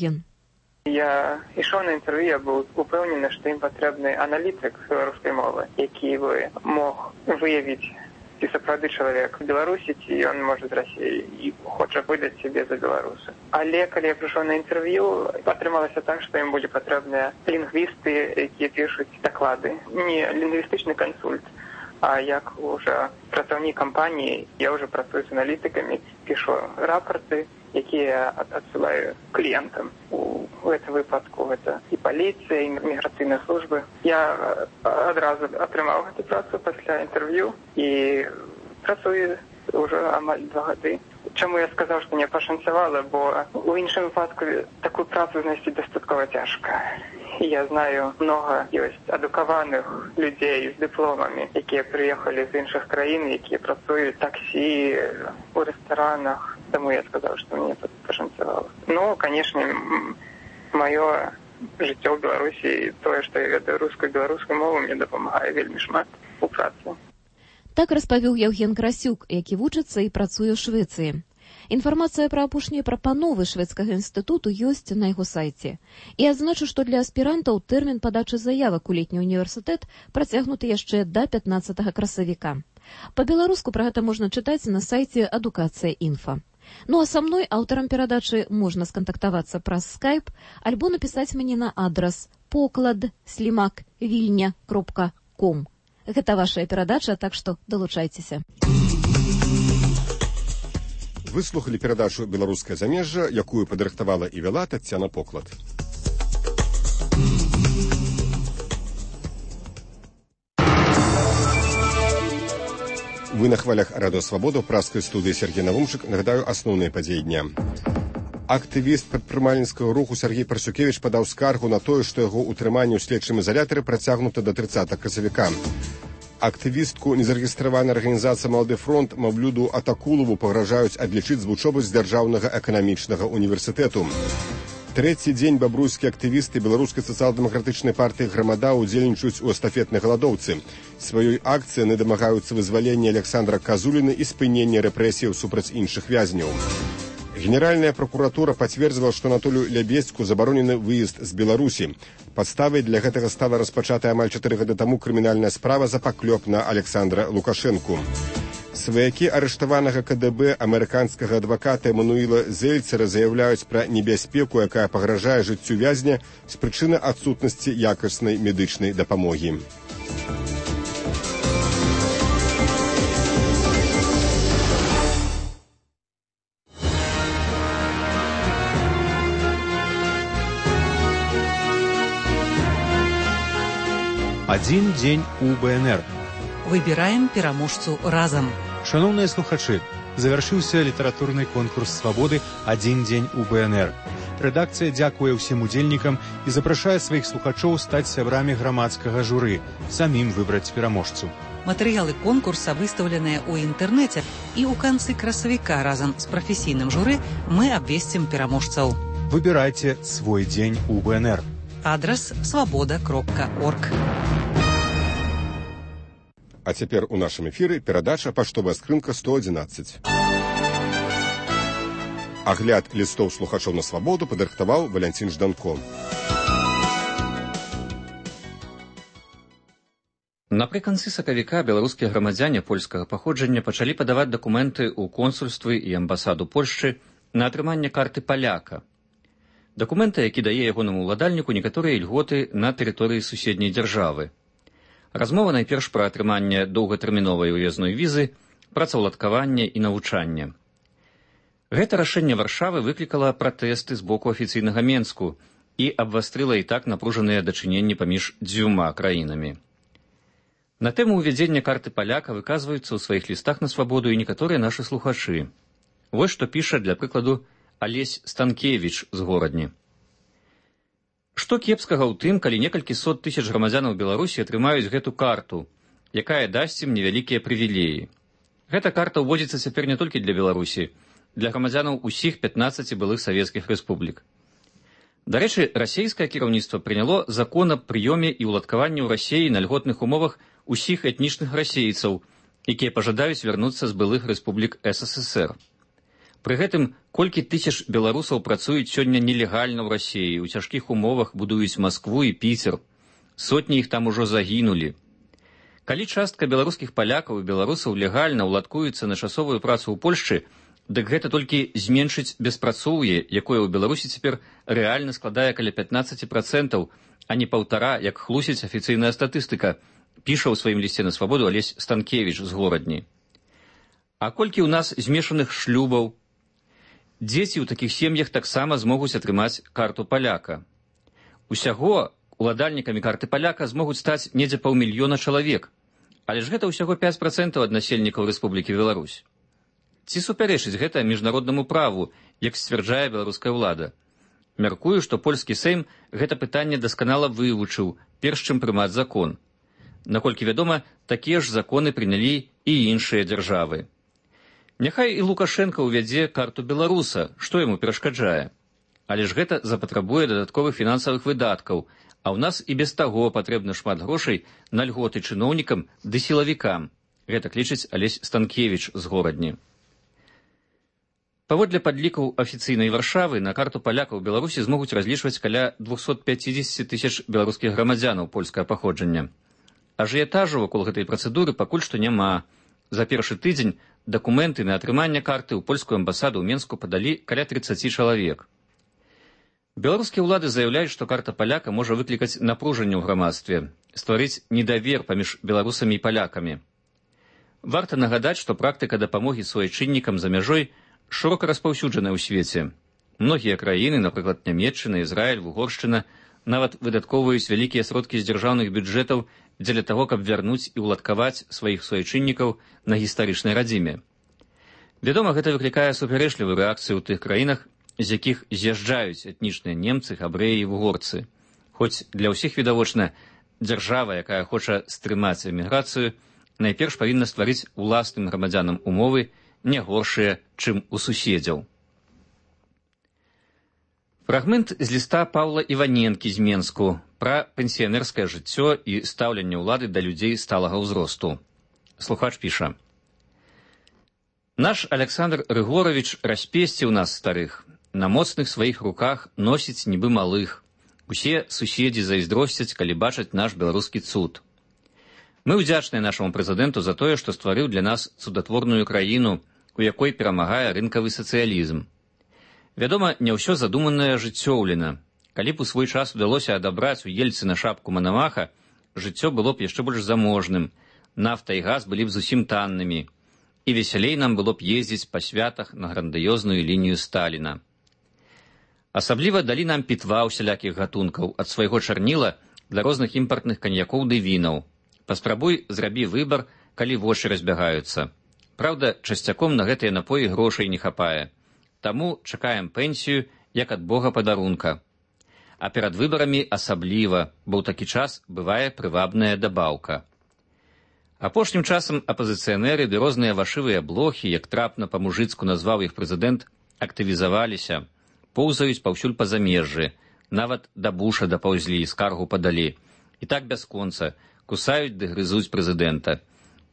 Ген. Я ішоў на інтэрв'ю, я быў упэўнены, што ім патрэбны аналітык беларускай мовы, які бы мог выявіць, ці сапраўды чалавек в Беларусі, ці ён можа з Расіі і хоча выдаць сябе за беларуса. Але калі я прыйшоў на інтэрв'ю, атрымалася так, што ім будзе патрэбныя лінгвісты, якія пішуць даклады. Не лінгвістычны кансульт, а як уже працаўнік кампаніі, я уже працую з аналітыкамі, пішу рапорты, якія адсылаю кліентам. У гэтым выпадку гэта і паліцыя, і міграцыйныя службы. Я адразу атрымаў гэту працу пасля інтэрв'ю і працую ўжо амаль 2 гады. Чаму я сказаў, што не пашанцавала, бо у іншым выпадку такую працу знайсці дастаткова цяжка. Я знаю, много ёсць адукаваных людзей з дыпломамі, якія прыехалі з іншых краін, якія працуюць таксі, у рэстаранах. Таму я сказаў, што мне пашанцавала. Ну, канешне, маё жыццё ў Беларусі, тое, што я ведаю рускую і беларускую мову, мне дапамагае вельмі шмат у працы. Так распавёў Яўген Красюк, які вучыцца і працуе ў Швецыі. Інфармацыя пра апошнія прапановы шведскага інстытуту ёсць на яго сайце. І адзначу, што для аспірантаў тэрмін падачы заявак у летні універсітэт працягнуты яшчэ да 15 красавіка. Па-беларуску пра гэта можна чытаць на сайце Адукацыя.Інфа. Ну а са мной, аўтарам перадачы, можна скантактавацца праз скайп альбо напісаць мне на адрас poklad@vilnia.com. Гэта вашая перадача, так што далучайцеся. Выслухалі перадачу «Беларускае замежжа», якую падрыхтавала і вяла Таццяна Поклад. Вы на хвалях Радыё Свабода, ў праскай студыі Сергей Навумчык. Нагадаю, асноўныя падзеі дня. Актывіст прадпрымальніцкага руху Сергей Парсюкевіч падаў скаргу на тое, што яго ўтрыманне ў следчым ізалятары працягнута да 30 красавіка. Актывістку незарэгістраванай арганізацыі «Малады фронт» Маўлюду Атакулову пагражаюць адлічыць з вучобы з Дзяржаўнага эканамічнага універсітэту. Трэці дзень бабруйскія актывісты беларускай сацыял-дэмакратычнай партыі «Грамада» удзельнічаюць у эстафетнай галадоўцы. Сваёй акцыі яны дамагаюцца вызвалення Александра Казуліна і спынення рэпрэсіяў супраць іншых вязняў. Генеральная прокуратура пацвердзіла, што Анатолію Лябедзьку забаронены выезд з Беларусі. Падставай для гэтага стала распачатая амаль 4 гады таму крымінальная справа за паклёп на Александра Лукашэнку. Сваякі арыштаванага КДБ амерыканскага адваката Эмануіла Зельцера заяўляюць пра небяспеку, якая пагражае жыццю вязня з прычыны адсутнасці якаснай медычнай дапамогі. Адзін дзень у БНР. Выбіраем пераможцу разам. Шановныя слухачы, завяршыўся літаратурны конкурс свабоды «Адзін дзень у БНР». Рэдакцыя дзякуе ўсім удзельнікам і запрашае сваіх слухачоў стаць сябрамі грамадскага журы, самім выбраць пераможцу. Матэрыялы конкурса выстаўленыя ў інтэрнэце, і ў канцы красавіка разам з прафесійным журы мы абвесцім пераможцаў. Выбірайце свой дзень у БНР. Адрас свабода.орг. А цяпер у нашым эфіры перадача «Паштовая скрынка 111». Агляд лістоў слухачоў на свабоду падрыхтаваў Валянцін Жданко. Напрыканцы сакавіка беларускія грамадзяне польскага паходжання пачалі падаваць дакументы ў консульствы і амбасаду Польшчы на атрыманне карты паляка. Дакументы, які дае ягонаму ўладальніку некаторыя ільготы на тэрыторыі суседняй дзяржавы. Размова найперш пра атрыманне доўгатэрміновай уязной візы, працаўладкаванне і навучанне. Гэта рашэнне Варшавы выклікала пратэсты з боку афіцыйнага Менску і абвастрыла і так напружаныя дачыненні паміж дзвюма краінамі. На тэму ўвядзення карты паляка выказваюцца ў сваіх лістах на свабоду і некаторыя нашы слухачы. Вось што піша, для прыкладу, Алесь Станкевіч з Горадні. Што кепскага ў тым, калі некалькі сот тысяч грамадзянаў Беларусі атрымаюць гэту карту, якая дасць ім невялікія прывілеі. Гэта карта ўводзіцца цяпер не толькі для Беларусі, для грамадзянаў усіх 15 былых савецкіх рэспублік. Дарэчы, расійскае кіраўніцтва прыняло закон аб прыёме і ўладкаванні ў Расіі на льготных умовах усіх этнічных расейцаў, якія пажадаюць вярнуцца з былых рэспублік СССР. Пры гэтым колькі тысяч беларусаў працуюць сёння нелегальна ў Расіі, у цяжкіх умовах будуюць Маскву і Піцер. Сотні іх там ужо загінулі. Калі частка беларускіх палякаў і беларусаў легальна ўладкуецца на часовую працу ў Польшчы, дык гэта толькі зменшыць беспрацоўе, якое ў Беларусі цяпер рэальна складае каля 15%, а не 1,5%, як хлусіць афіцыйная статыстыка, піша ў сваім лісце на свабоду Алесь Станкевіч з Горадні. А колькі ў нас змешаных шлюбаў? Дзеці ў такіх сем'ях таксама змогуць атрымаць карту паляка. Усяго уладальнікамі карты паляка змогуць стаць недзе 500 000 чалавек, але ж гэта ўсяго 5% ад насельнікаў Рэспублікі Беларусь. Ці супярэчыць гэта міжнароднаму праву, як сцвярджае беларуская ўлада? Мяркую, што польскі Сейм гэта пытанне дасканала вывучыў, перш чым прымаць закон. Наколькі вядома, такія ж законы прынялі і іншыя дзяржавы. Няхай і Лукашенко ўвядзе карту беларуса, што яму перашкаджае. Але ж гэта запатрабуе дадатковых фінансавых выдаткаў, а ў нас і без таго патрэбна шмат грошай на льготы чыноўнікам ды сілавікам. Гэта лічыць Алесь Станкевіч з Горадні. Паводле падлікаў афіцыйнай Варшавы, на карту палякаў у Беларусі змогуць разлічваць каля 250 000 беларускіх грамадзянаў польскага паходжання. Ажыятажу вакол гэтай працэдуры пакуль што няма. За першы тыдзень дакументы на атрыманне карты ў польскую амбасаду ў Менску падалі каля 30 чалавек. Беларускія ўлады заяўляюць, што карта паляка можа выклікаць напружанне ў грамадстве, стварыць недавер паміж беларусамі і палякамі. Варта нагадаць, што практыка дапамогі суайчыннікам за мяжой шырока распаўсюджаная ў свеце. Многія краіны, напрыклад, Нямецчына, Ізраіль, Угоршчына, нават выдаткоўваюць вялікія сродкі з дзяржаўных бюджэтаў дзеля таго, каб вярнуць і ўладкаваць сваіх суайчыннікаў на гістарычнай радзіме. Вядома, гэта выклікае супярэчлівую рэакцыю ў тых краінах, з якіх з'язджаюць этнічныя немцы, габрэі і вугорцы. Хоць для ўсіх відавочна, дзяржава, якая хоча стрымаць эміграцыю, найперш павінна стварыць уласным грамадзянам умовы не горшыя, чым у суседзяў. Фрагмент з ліста Паўла Іваненкі з Менску пра пенсіянерскае жыццё і стаўленне ўлады да людзей сталага ўзросту. Слухач піша: «Наш Александр Рыгорович распесціў нас старых, на моцных сваіх руках носіць нібы малых. Усе суседзі зайздросцяць, калі бачаць наш беларускі цуд. Мы ўдзячныя нашаму прэзідэнту за тое, што стварыў для нас цудатворную краіну, у якой перамагае рынкавы сацыялізм. Вядома, не ўсё задуманае жыццёўлена. Калі б у свой час удалося адабраць у Ельцына шапку Манамаха, жыццё было б яшчэ больш заможным, нафта і газ былі б зусім таннымі, і весялей нам было б ездзіць па святах на грандыёзную лінію Сталіна. Асабліва далі нам пітва ўсялякіх гатункаў, ад свайго чарніла для розных імпартных каньякоў ды вінаў. Паспрабуй зрабі выбар, калі вочы разбягаюцца. Праўда, часцяком на гэтыя напоі грошай не хапае. Таму чакаем пенсію, як ад Бога падарунка. А перад выбарамі асабліва, бо ў такі час бывае прывабная дабаўка. Апошнім часам апазіцыянеры ды розныя вашывыя блохі, як трапна па-мужыцку назваў іх прэзідэнт, актывізаваліся, поўзаюць паўсюль па замежжы, нават да Буша дапаўзлі, скаргу падалі. І так бясконца, кусаюць ды грызуць прэзідэнта.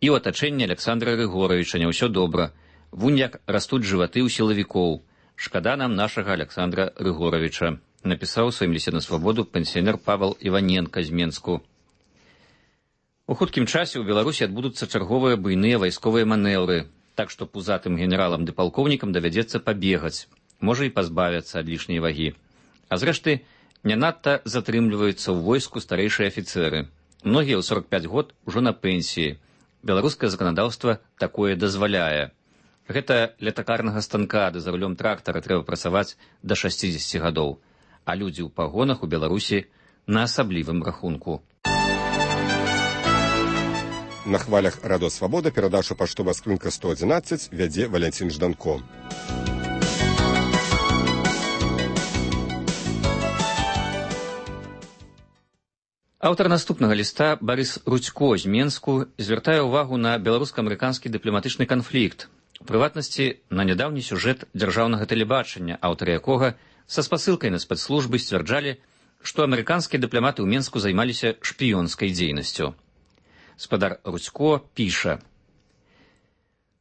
І ў атачэнні Александра Рыгоровича не ўсё добра. Вунь як растуць жываты ў сілавікоў. Шкада нам нашага Александра Рыгоровича, напісаў у сваім лісце на свабоду пенсіянер Павел Іваненка з Менску. У хуткім часе ў Беларусі адбудуцца чарговыя буйныя вайсковыя манеўры, так што пузатым генералам ды палкоўнікам давядзецца пабегаць, можа і пазбавяцца ад лішняй вагі. А зрэшты, не надта затрымліваюцца ў войску старэйшыя афіцэры. Многія ў 45 год ужо на пенсіі. Беларускае заканадаўства такое дазваляе. Гэта ля такарнага станка ды за рулём трактара трэба працаваць да 60 гадоў, а людзі ў пагонах у Беларусі на асаблівым рахунку. На хвалях Радо Свабода перадачу паштова скрынка 111 вядзе Валянцін Жданко. Аўтар наступнага ліста Барыс Рудзько з Менску звяртае ўвагу на беларуска-амерыканскі дыпламатычны канфлікт, у прыватнасці на нядаўні сюжэт дзяржаўнага тэлебачання, аўтары якога са спасылкай на спецслужбы сцвярджалі, што амерыканскія дыпламаты ў Менску займаліся шпіёнскай дзейнасцю. Спадар Рудзько піша: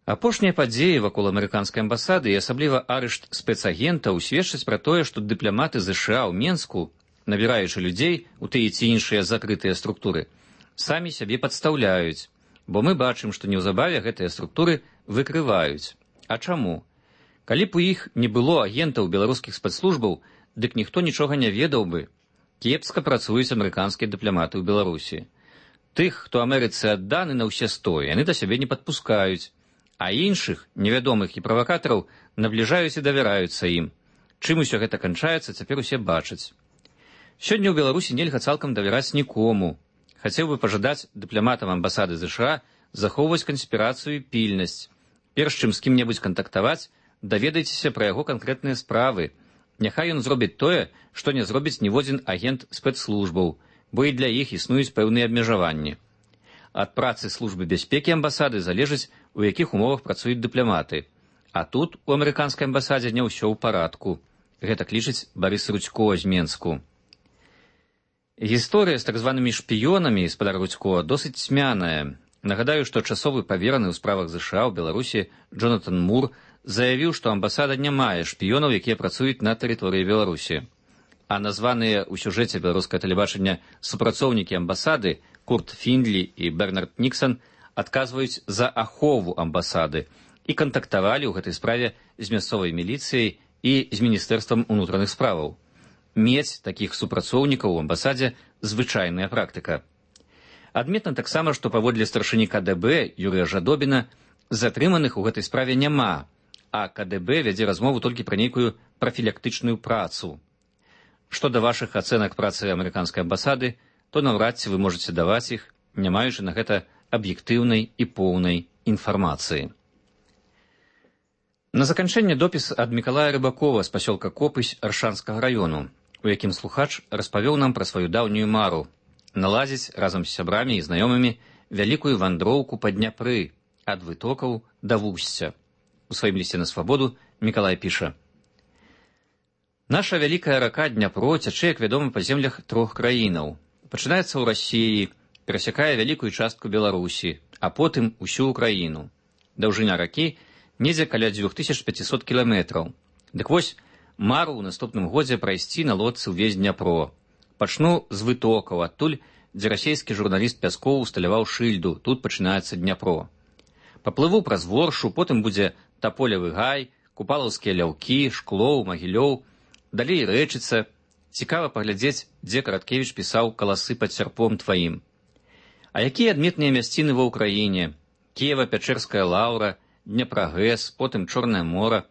Апошнія падзеі вакол амерыканскай амбасады і асабліва арышт спецагентаў сведчаць пра тое, што дыпламаты ЗША ў Менску, набіраючы людзей у тыя ці іншыя закрытыя структуры, самі сябе падстаўляюць, бо мы бачым, што неўзабаве гэтыя структуры выкрываюць. А чаму? Калі б у іх не было агентаў беларускіх спецслужбаў, дык ніхто нічога не ведаў бы. Кепска працуюць амерыканскія дыпламаты ў Беларусі. Тых, хто Амерыцы адданы на ўсе 100, яны да сябе не падпускаюць, а іншых, невядомых і правакатараў, набліжаюць і давяраюцца ім. Чым усё гэта канчаецца, цяпер усе бачаць. Сёння ў Беларусі нельга цалкам давяраць нікому. Хацеў бы пажадаць дыпламатам амбасады ЗША захоўваць канспірацыю і пільнасць. Перш чым з кім-небудзь кантактаваць, даведайцеся пра яго канкрэтныя справы. Няхай ён зробіць тое, што не зробіць ніводзін агент спецслужбаў, бо і для іх існуюць пэўныя абмежаванні. Ад працы службы бяспекі амбасады залежыць, у якіх умовах працуюць дыпламаты. А тут у амерыканскай амбасадзе не ўсё ў парадку. Гэтак лічыць Барыс Рудзько з Менску. Гісторыя з так званымі шпіёнамі спадар Рудзько досыць цьмяная. Нагадаю, што часовы павераны ў справах ЗША ў Беларусі Джонатан Мур заявіў, што амбасада не мае шпіёнаў, якія працуюць на тэрыторыі Беларусі. А названыя ў сюжэце беларускае тэлебачання супрацоўнікі амбасады Курт Фіндлі і Бернард Ніксан адказваюць за ахову амбасады і кантактавалі ў гэтай справе з мясцовай міліцыяй і з міністэрствам унутраных справаў. Мець такіх супрацоўнікаў у амбасадзе звычайная практыка. Адметна таксама, што паводле старшыні КДБ Юрыя Жадобіна затрыманых у гэтай справе няма, а КДБ вядзе размову толькі пра нейкую прафілактычную працу. Што да вашых ацэнак працы амерыканскай амбасады, то наўрад ці вы можаце даваць іх, не маючы на гэта аб'ектыўнай і поўнай інфармацыі. На заканчэнне допіс ад Мікалая Рыбакова з пасёлка Копысь Аршанскага раёну, у якім слухач распавёў нам пра сваю даўнюю мару наладзіць разам з сябрамі і знаёмымі вялікую вандроўку па Дняпры ад вытокаў да вусця. У сваім лісце на свабоду Мікалай піша: «Наша вялікая рака Дняпро цячэ, як вядома, па землях 3 краінаў. Пачынаецца ў Расіі, перасякае вялікую частку Беларусі, а потым усю Украіну. Даўжыня ракі недзе каля 2500 кіламетраў. Дык вось, мару ў наступным годзе прайсці на лодцы ўвесь Дняпро. Пачну з вытокаў, адтуль, дзе расійскі журналіст Пяскоў усталяваў шыльду, тут пачынаецца Дняпро. Паплыву праз Воршу, потым будзе Таполевы гай, Купалаўскія ляўкі, Шклоў, Магілёў, далей Рэчыца. Цікава паглядзець, дзе Караткевіч пісаў «Каласы пад сярпом тваім». А якія адметныя мясціны ва ўкраіне? Кіева-Пячэрская лаўра, Дняпра-ГЭС, потым Чорнае мора.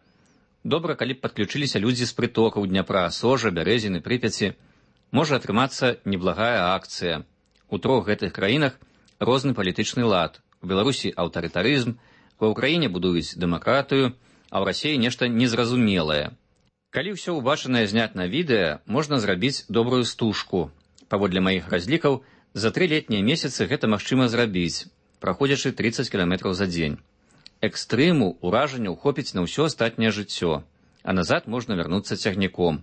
Добра, калі б падключыліся людзі з прытокаў Дняпра, Сожа, Бярэзіны, Прыпяці. Можа атрымацца неблагая акцыя. У 3 гэтых краінах розны палітычны лад. У Беларусі аўтарытарызм, ва ўкраіне будуюць дэмакратыю, а ў Расіі нешта незразумелае. Калі ўсё ўбачанае зняць на відэа, можна зрабіць добрую стужку. Паводле маіх разлікаў, за 3 летнія месяцы гэта магчыма зрабіць, праходзячы 30 кіламетраў за дзень. Экстрыму, уражанняў хопіць на ўсё астатняе жыццё, а назад можна вярнуцца цягніком.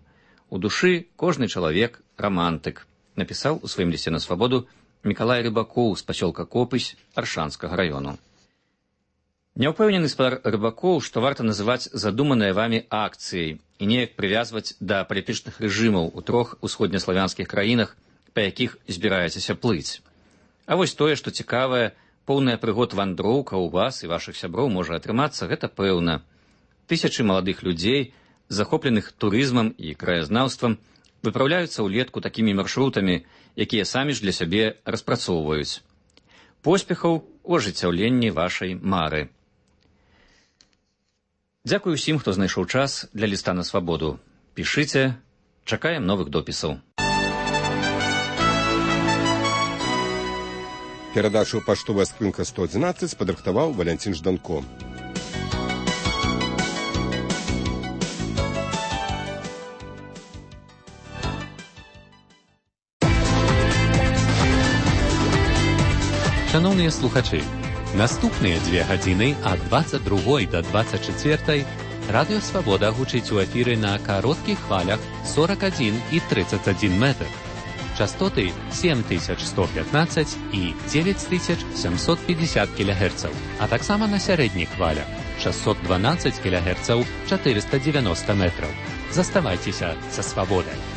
У душы кожны чалавек рамантык, напісаў у сваім лісце на свабоду Мікалай Рыбакоў з пасёлка Копысь Аршанскага раёну. Няўпэўнены спадар Рыбакоў, што варта называць задуманыя вамі акцыяй і неяк прывязваць да палітычных рэжымаў у 3 усходнеславянскіх краінах, па якіх збіраецеся плыць. А вось тое, што цікавае, поўная прыгод вандроўка ў вас і вашых сяброў можа атрымацца, гэта пэўна. Тысячы маладых людзей, захопленых турызмам і краязнаўствам, выпраўляюцца ўлетку такімі маршрутамі, якія самі ж для сябе распрацоўваюць. Поспехаў у ажыццяўленні вашай мары. Дзякуй усім, хто знайшоў час для ліста на свабоду. Пішыце, чакаем новых допісаў. Перадачу «Паштовая скрынка 111» падрыхтаваў Валянцін Жданко. Шановныя слухачы, наступныя 2 гадзіны ад 22 да 24 Радыё Свабода гучыць у эфіры на кароткіх хвалях 41 і 31 метр. Частоты 7115 і 9750 кГц, а таксама на сярэдніх хвалях 612 кГц 490 метраў. Заставайцеся са свабодай.